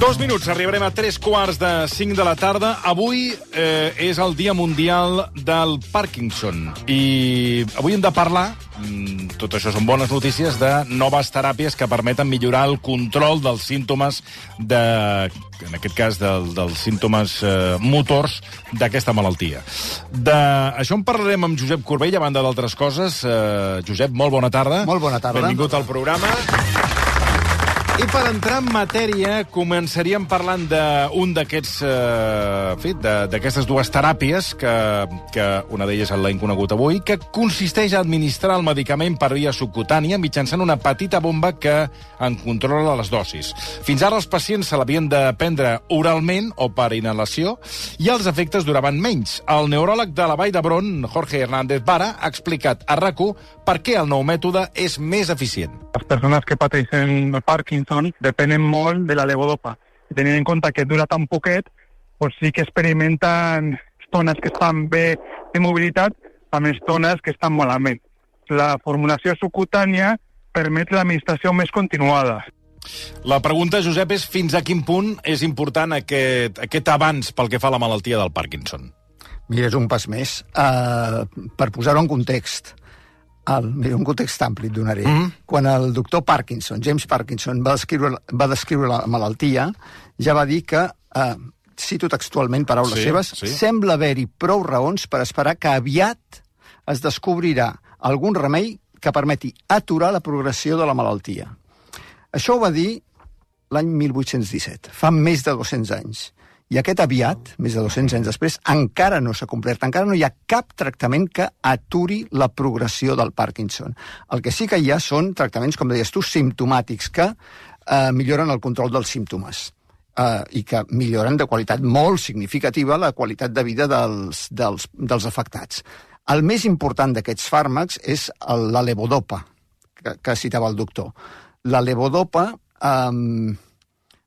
2 minuts, arribarem a 3:45 de la tarda. Avui és el Dia Mundial del Parkinson. I avui hem de parlar, tot això són bones notícies, de noves teràpies que permeten millorar el control dels símptomes, en aquest cas dels símptomes motors d'aquesta malaltia. D'això en parlarem amb Josep Corbell, a banda d'altres coses. Josep, molt bona tarda. Molt bona tarda. Benvingut al programa. I per entrar en matèria, començaríem parlant d'un d'aquests, d'aquestes dues teràpies, que una d'elles l'hem conegut avui, que consisteix a administrar el medicament per via subcutània mitjançant una petita bomba que en controla les dosis. Fins ara els pacients se l'havien de prendre oralment o per inhalació i els efectes duraven menys. El neuròleg de la Vall d'Hebron, Jorge Hernández Vara, ha explicat a RAC1 per què el nou mètode és més eficient. Les persones que pateixen el Parkinson depenen molt de la levodopa. I tenint en compte que dura tan poquet, doncs sí que experimenten estones que estan bé de mobilitat amb estones que estan malament. La formulació subcutània permet l'administració més continuada. La pregunta, Josep, és fins a quin punt és important aquest avanç pel que fa a la malaltia del Parkinson? Mira, és un pas més. Per posar-ho en context, un context ampli et donaré. Quan el doctor Parkinson, James Parkinson, va descriure la malaltia, ja va dir que, cito textualment paraules seves, sembla haver-hi prou raons per esperar que aviat es descobrirà algun remei que permeti aturar la progressió de la malaltia. Això ho va dir l'any 1817, fa més de 200 anys. I aquest aviat, més de 200 anys després, encara no s'ha complert. Encara no hi ha cap tractament que aturi la progressió del Parkinson. El que sí que hi ha són tractaments, com deies tu, simptomàtics, que milloren el control dels símptomes i que milloren de qualitat molt significativa la qualitat de vida dels afectats. El més important d'aquests fàrmacs és la levodopa, que citava el doctor. La levodopa...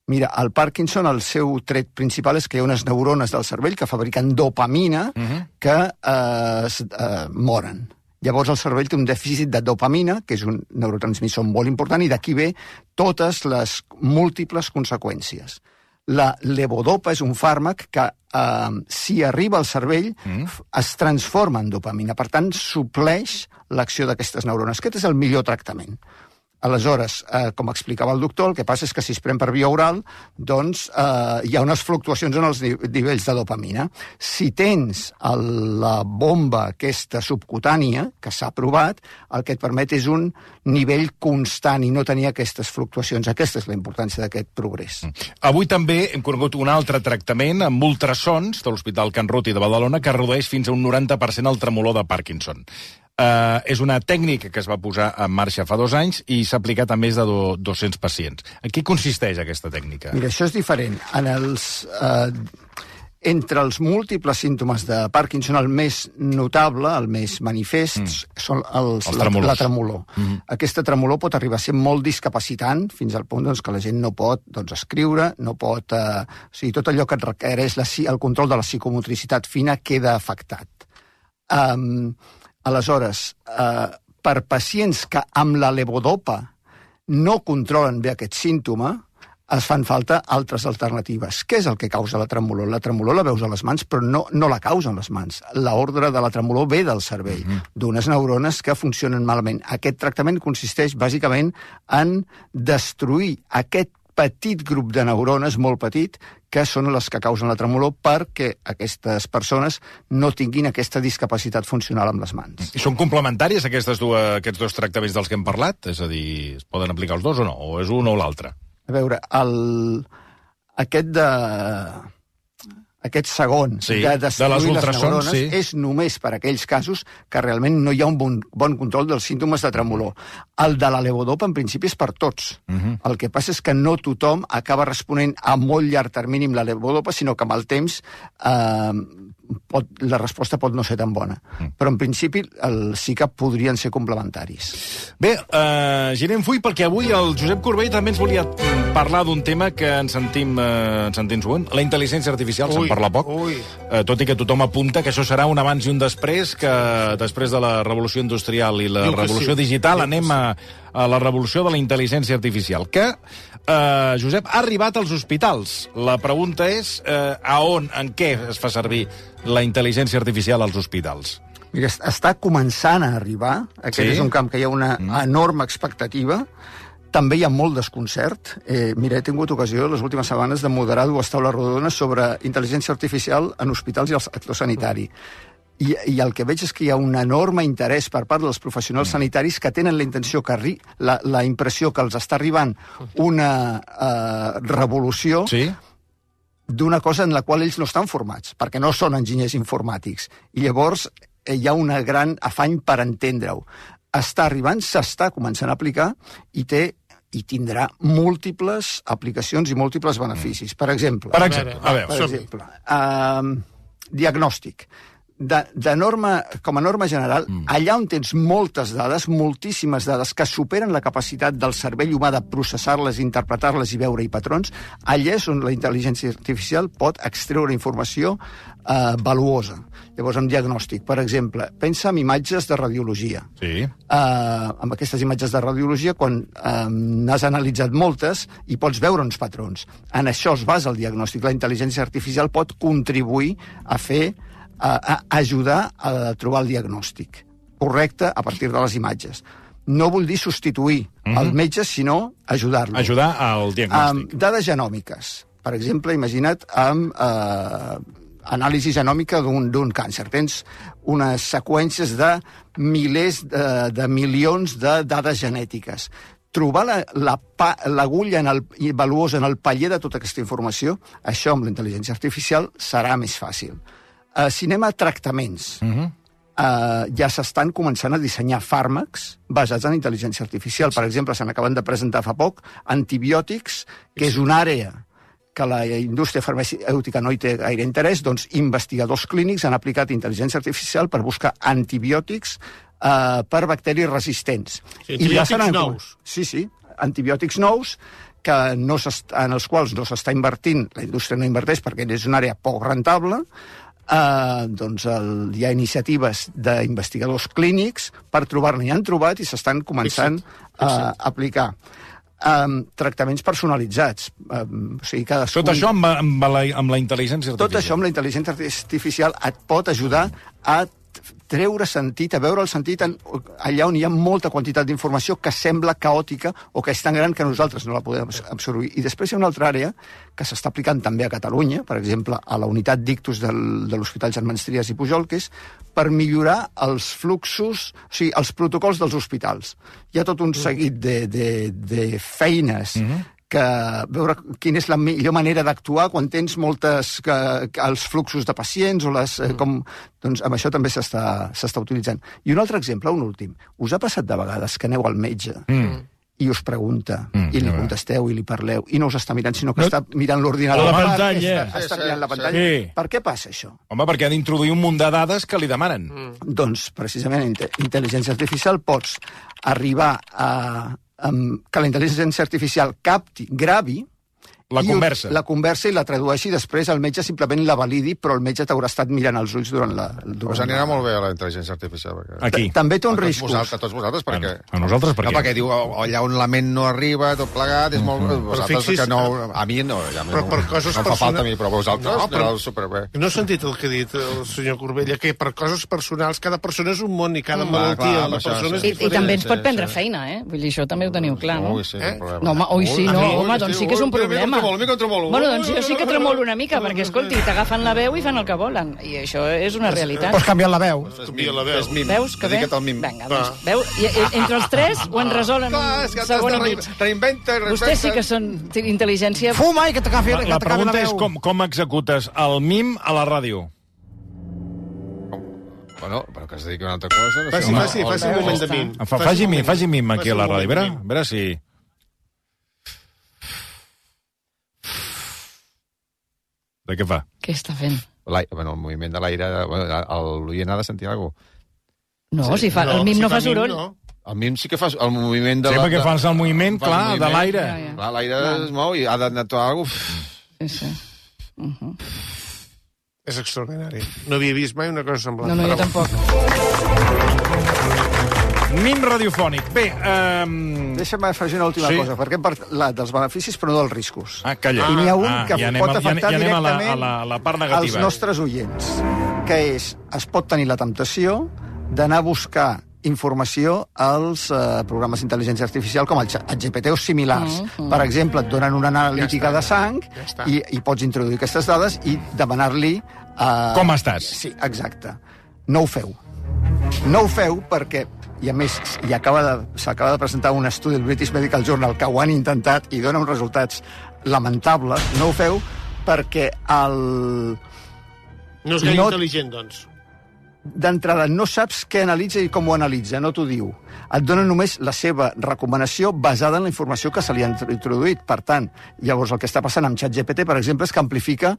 Mira, el Parkinson, el seu tret principal és que hi ha unes neurones del cervell que fabriquen dopamina que moren. Llavors el cervell té un dèficit de dopamina, que és un neurotransmissor molt important, i d'aquí ve totes les múltiples conseqüències. La levodopa és un fàrmac que, si arriba al cervell, es transforma en dopamina. Per tant, supleix l'acció d'aquestes neurones. Aquest és el millor tractament. Aleshores, com explicava el doctor, el que passa és que si es pren per via oral, doncs hi ha unes fluctuacions en els nivells de dopamina. Si tens la bomba aquesta subcutània, que s'ha provat, el que et permet és un nivell constant i no tenir aquestes fluctuacions. Aquesta és la importància d'aquest progrés. Avui també hem conegut un altre tractament amb ultrasons de l'Hospital Can Ruti de Badalona que redueix fins a un 90% el tremolor de Parkinson. És una tècnica que es va posar en marxa fa 2 anys i s'ha aplicat a més de 200 pacients. En què consisteix aquesta tècnica? Mira, això és diferent. Entre els múltiples símptomes de Parkinson, el més notable, el més manifest, són la tremolor. Aquesta tremolor pot arribar a ser molt discapacitant, fins al punt que la gent no pot escriure, no pot... O sigui, tot allò que et requereix el control de la psicomotricitat fina queda afectat. Aleshores, per pacients que amb la levodopa no controlen bé aquest símptoma, es fan falta altres alternatives. Què és el que causa la tremolor? La tremolor la veus a les mans, però no la causen les mans. L'ordre de la tremolor ve del cervell, d'unes neurones que funcionen malament. Aquest tractament consisteix bàsicament en destruir aquest petit grup de neurones, molt petit, que són les que causen la tremolor perquè aquestes persones no tinguin aquesta discapacitat funcional amb les mans. I són complementàries aquests dos tractaments dels que hem parlat? És a dir, es poden aplicar els dos o no? O és un o l'altre? A veure, aquest segon de destruir les neurones és només per aquells casos que realment no hi ha un bon control dels símptomes de tremolor. El de la levodopa, en principi, és per tots. El que passa és que no tothom acaba responent a molt llarg termini amb la levodopa, sinó que amb el temps la resposta pot no ser tan bona. Però, en principi, sí que podrien ser complementaris. Bé, girem full, perquè avui el Josep Corbell també ens volia parlar d'un tema que ens sentim sovint, la intel·ligència artificial. Se'n parla poc, tot i que tothom apunta que això serà un abans i un després, que després de la revolució industrial i la revolució digital anem a la revolució de la intel·ligència artificial, que, Josep, ha arribat als hospitals. La pregunta és a on, en què es fa servir la intel·ligència artificial als hospitals? Mira, està començant a arribar. Aquest és un camp que hi ha una enorme expectativa. També hi ha molt desconcert. Mira, he tingut ocasió les últimes setmanes de moderar 2 taules rodones sobre intel·ligència artificial en hospitals i al sector sanitari. I el que veig és que hi ha un enorme interès per part dels professionals sanitaris que tenen la intenció, la impressió que els està arribant una revolució d'una cosa en la qual ells no estan formats, perquè no són enginyers informàtics. I llavors hi ha un gran afany per entendre-ho. Està arribant, s'està començant a aplicar i tindrà múltiples aplicacions i múltiples beneficis. Per exemple, diagnòstic. Com a norma general, allà on tens moltes dades, moltíssimes dades, que superen la capacitat del cervell humà de processar-les, interpretar-les i veure-hi patrons, allà és on la intel·ligència artificial pot extreure informació valuosa. Llavors, amb diagnòstic, per exemple, pensa en imatges de radiologia. Amb aquestes imatges de radiologia, quan n'has analitzat moltes, hi pots veure uns patrons. En això es basa el diagnòstic. La intel·ligència artificial pot contribuir a ajudar a trobar el diagnòstic correcte a partir de les imatges. No vull dir substituir el metge, sinó ajudar-lo. Ajudar al diagnòstic. Dades genòmiques. Per exemple, imagina't amb anàlisi genòmica d'un càncer. Tens unes seqüències de milers de milions de dades genètiques. Trobar l'agulla valuosa en el paller de tota aquesta informació, això amb la intel·ligència artificial serà més fàcil. Si anem a tractaments, ja s'estan començant a dissenyar fàrmacs basats en intel·ligència artificial. Per exemple, se n'acaben de presentar fa poc antibiòtics, que és una àrea que la indústria farmacèutica no hi té gaire interès, doncs investigadors clínics han aplicat intel·ligència artificial per buscar antibiòtics per bacteris resistents. Antibiòtics nous? Sí, antibiòtics nous, en els quals no s'està invertint, la indústria no inverteix perquè és una àrea poc rentable. Doncs hi ha iniciatives d'investigadors clínics per trobar-ne, i han trobat i s'estan començant a aplicar. Tractaments personalitzats. Tot això amb la intel·ligència artificial. Tot això amb la intel·ligència artificial et pot ajudar a treure sentit, a veure el sentit allà on hi ha molta quantitat d'informació que sembla caòtica o que és tan gran que nosaltres no la podem absorbir. I després hi ha una altra àrea que s'està aplicant també a Catalunya, per exemple, a la unitat d'ictus de l'Hospital Germans Trias i Pujol, que és per millorar els fluxos, o sigui, els protocols dels hospitals. Hi ha tot un seguit de feines veure quina és la millor manera d'actuar quan tens els fluxos de pacients o doncs amb això també s'està utilitzant. I un altre exemple, un últim. Us ha passat de vegades que aneu al metge i us pregunta, i li contesteu i li parleu, i no us està mirant, sinó que està mirant l'ordinador. La pantalla. Està mirant la pantalla. Per què passa això? Home, perquè ha d'introduir un munt de dades que li demanen. Doncs, precisament, intel·ligència artificial pots arribar que la intel·ligència artificial gravi la conversa i la tradueixi, després el metge simplement la validi, però el metge t'haurà estat mirant els ulls durant Us anirà molt bé a la intel·ligència artificial. Aquí. També té uns riscos. A tots vosaltres, perquè... A nosaltres, per què? Perquè diu, allà on la ment no arriba, tot plegat, és molt... Vosaltres que no... A mi no, però per coses no em fa falta a mi, però vosaltres aneu superbé. No he sentit el que ha dit el senyor Corbella, que per coses personals, cada persona és un món i cada malaltia de la persona és diferent. I també ens pot prendre feina, eh? Vull dir, això també ho teniu clar, no? Ui, sí, és un problema. No, home, ui, sí, no, home, doncs sí que és un problema. Bueno, doncs jo sí que tremolo una mica, perquè, escolti, t'agafen la veu i fan el que volen. I això és una realitat. Pots canviar la veu. Veus que bé? Vinga, doncs, veu? Entre els tres ho en resolen un segon i mig. Vostès sí que són intel·ligència... Fuma i que t'agafi la veu. La pregunta és com executes el mim a la ràdio. Bueno, però que es dediqui a una altra cosa... Faci un moment de mim. Faci mim aquí a la ràdio. A veure si... De què fa? Què està fent? El moviment de l'aire, l'oient ha de sentir alguna cosa. No, si fa, el mim no fa soroll. El mim sí que fa el moviment de... Sí, perquè fas el moviment, clar, de l'aire. Clar, l'aire es mou i ha d'anar alguna cosa. Sí. És extraordinari. No havia vist mai una cosa semblant. No, jo tampoc. Nin radiofònic. Bé, Deixa'm afegir una última cosa, perquè hem parlat dels beneficis però no dels riscos. Calla. I n'hi ha un que pot afectar directament a la part negativa. als nostres oients, que és, es pot tenir la temptació d'anar a buscar informació als programes d'intel·ligència artificial com el ChatGPT o similars. Per exemple, et donen una analítica de sang i pots introduir aquestes dades i demanar-li... Com estàs? Sí, exacte. No ho feu. No ho feu perquè, i a més, s'acaba de presentar un estudi del British Medical Journal que ho han intentat i dona uns resultats lamentables. No ho feu perquè no és gaire intel·ligent, doncs. D'entrada, no saps què analitza i com ho analitza, no t'ho diu. Et dona només la seva recomanació basada en la informació que se li ha introduït. Per tant, llavors el que està passant amb ChatGPT, per exemple, és que amplifica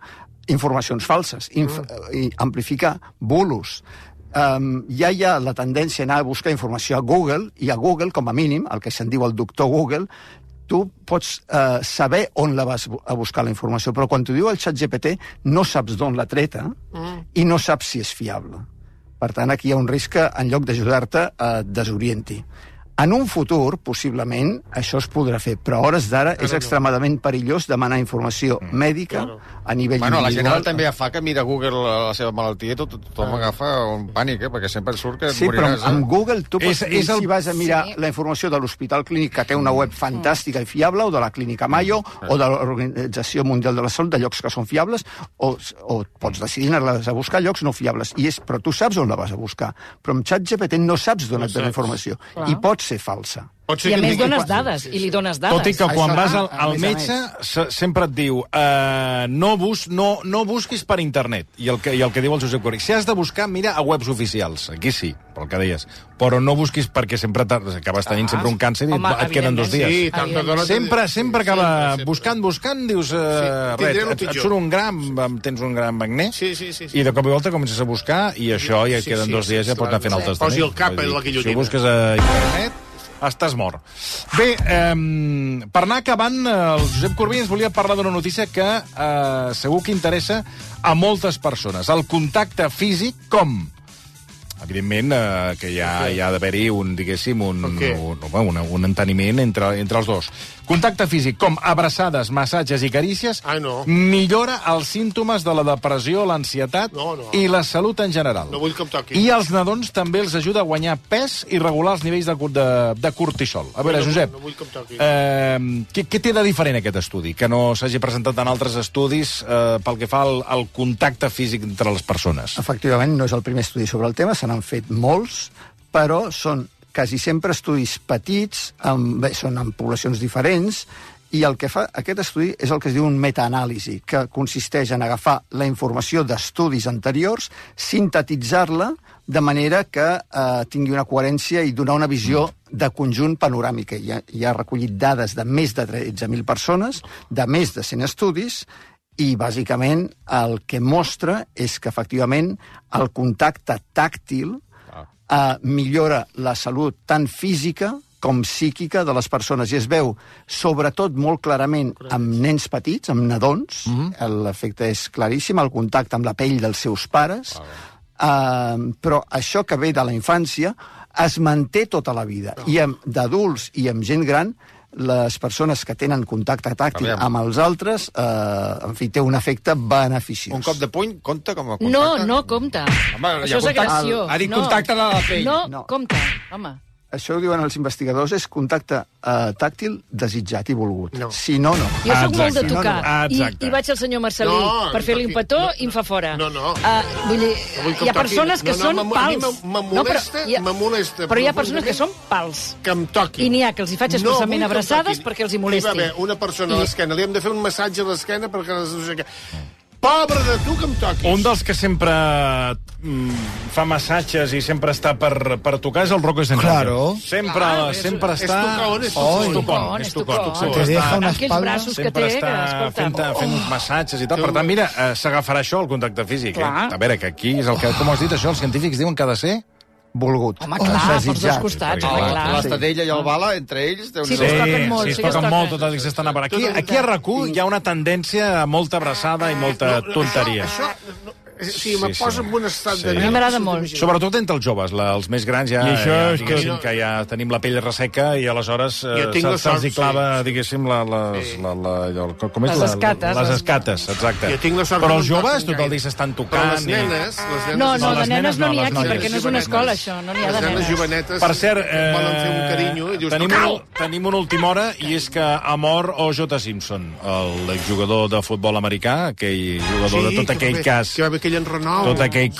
informacions falses, i amplifica bulos. Ja hi ha la tendència a anar a buscar informació a Google, i a Google, com a mínim, el que se'n diu el doctor Google, tu pots saber on la vas a buscar la informació, però quan t'ho diu el ChatGPT no saps d'on la treta i no saps si és fiable. Per tant, aquí hi ha un risc que, en lloc d'ajudar-te, et desorienti. En un futur, possiblement, això es podrà fer, però a hores d'ara és extremadament perillós demanar informació mèdica a nivell individual. La gent també fa que mira Google la seva malaltia i tothom agafa un pànic, perquè sempre surt que sí, moriràs. Sí, però amb Google tu pots dir si vas a mirar la informació de l'Hospital Clínic, que té una web fantàstica i fiable, o de la Clínica Mayo, o de l'Organització Mundial de la Salut, de llocs que són fiables, o pots decidir anar-les a buscar llocs no fiables. Però tu saps on la vas a buscar. Però amb ChatGPT no saps d'on et dona informació. I pot ser falsa. I a més dones dades, i li dones dades. Tot i que quan vas al metge sempre et diu no busquis per internet. I el que diu el Josep Corri, si has de buscar, mira a webs oficials. Aquí sí, pel que deies. Però no busquis perquè sempre acabes tenint sempre un càncer i et queden 2 dies. Sempre acaba buscant, dius et surt un gram, tens un gram magné, i de cop i volta comences a buscar i això ja et queden 2 dies i ja pots anar fent el testament. Posi el cap en la guillotina. Si busques a internet, estàs mort. Bé, per anar acabant, el Josep Corbí ens volia parlar d'una notícia que segur que interessa a moltes persones. El contacte físic, com? Evidentment que hi ha d'haver-hi diguéssim, un enteniment entre els dos. Contacte físic, com abraçades, massatges i carícies, millora els símptomes de la depressió, l'ansietat i la salut en general. No vull que em toqui. I als nadons també els ajuda a guanyar pes i regular els nivells de cortisol. A veure, Josep, què té de diferent aquest estudi, que no s'hagi presentat en altres estudis pel que fa al contacte físic entre les persones? Efectivament, no és el primer estudi sobre el tema, se n'han fet molts, però són quasi sempre estudis petits, són en poblacions diferents, i el que fa aquest estudi és el que es diu un metaanàlisi, que consisteix en agafar la informació d'estudis anteriors, sintetitzar-la de manera que tingui una coherència i donar una visió de conjunt panoràmica. Hi ha recollit dades de més de 13.000 persones, de més de 100 estudis, i bàsicament el que mostra és que efectivament el contacte tàctil millora la salut tant física com psíquica de les persones, i es veu sobretot molt clarament amb nens petits, amb nadons, l'efecte és claríssim, el contacte amb la pell dels seus pares, però això que ve de la infància es manté tota la vida, i d'adults i amb gent gran, les persones que tenen contacte tàctil amb els altres, en fi, té un efecte beneficiós. Un cop de puny compta com a contacte? No compta. Home, això és agressió. Ha dit contacte de la pell. No, compta, home. Això ho diuen els investigadors, és contacte tàctil desitjat i volgut. Si no, no. Jo soc molt de tocar, i vaig al senyor Marcelí per fer-li un petó i em fa fora. Vull dir, hi ha persones que són pals. Me molesta. Però hi ha persones que són pals. Que em toquin. I n'hi ha que els hi faig expressament abraçades perquè els hi molesti. Hi va haver una persona a l'esquena, li hem de fer un massatge a l'esquena perquè... Pobre de tu que em toquis. Un dels que sempre fa massatges i sempre està per tocar és el Rocco Schneider. Claro. Sempre està... És tocón. Te deja una espalda. Sempre està fent massatges i tal. Per tant, mira, s'agafarà això, el contacte físic. A veure, que aquí és el que... Com has dit això, els científics diuen que ha de ser... volgut. Home, clar, pels dos costats. L'Estadella i el Bala, entre ells... Sí, es toquen molt. Sí, es toquen molt, tot el que s'estan a per aquí. Aquí a RAC1 hi ha una tendència a molta abraçada i molta tonteria. Sí, me posa en un estat de... A mi m'agrada molt. Sobretot entre els joves, els més grans ja, diguéssim, que ja tenim la pell resseca i aleshores se'ls hi clava, diguéssim, les escates. Les escates, exacte. Però els joves tot el dia s'estan tocant. No, de nenes no n'hi ha aquí, perquè no és una escola, això. No n'hi ha de nenes. Jovenetes per cert, volen fer un carinyo i dius... Tenim una última hora i és que ha mort O.J. Simpson, l'exjugador de futbol americà, aquell jugador de tot aquell cas... Que va haver aquell enrenou. Tot aquell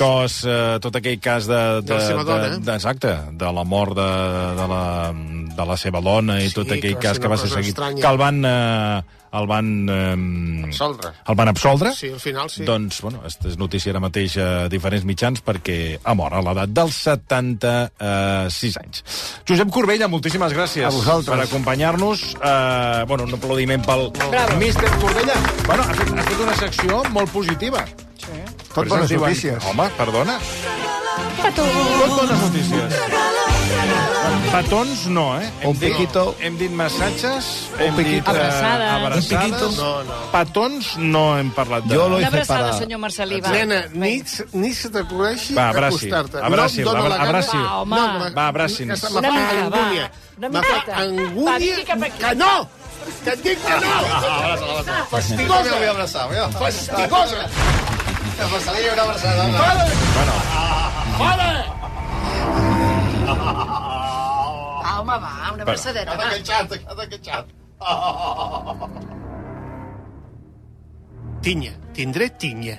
cas de la seva dona. Exacte, de la mort de la seva dona i tot aquell cas que va ser seguit. Que el van absoldre. Sí, al final sí. Doncs, bueno, és notícia ara mateix a diferents mitjans perquè ha mort a l'edat dels 76 anys. Josep Corbella, moltíssimes gràcies per acompanyar-nos. Un aplaudiment pel Míster Corbella. Bueno, ha fet una secció molt positiva. Sí. Tot bones notícies. Home, perdona. Tot bones notícies. Petons no, hem dit massatges, hem dit abraçades. Petons no hem parlat de... Una abraçada, senyor Marcelí. Nena, ni se t'acudeixi acostar-te. Abraci. Va, abraci. Una mica, Una miqueta. Angúnia... Que no! Que et dic que no! Fastigosa! Vull abraçar, Fastigosa! Que Marcelí, una abraçada. Fora! Home, va, una abraçadeta. Cada queixat. Tinya, tindré tinya.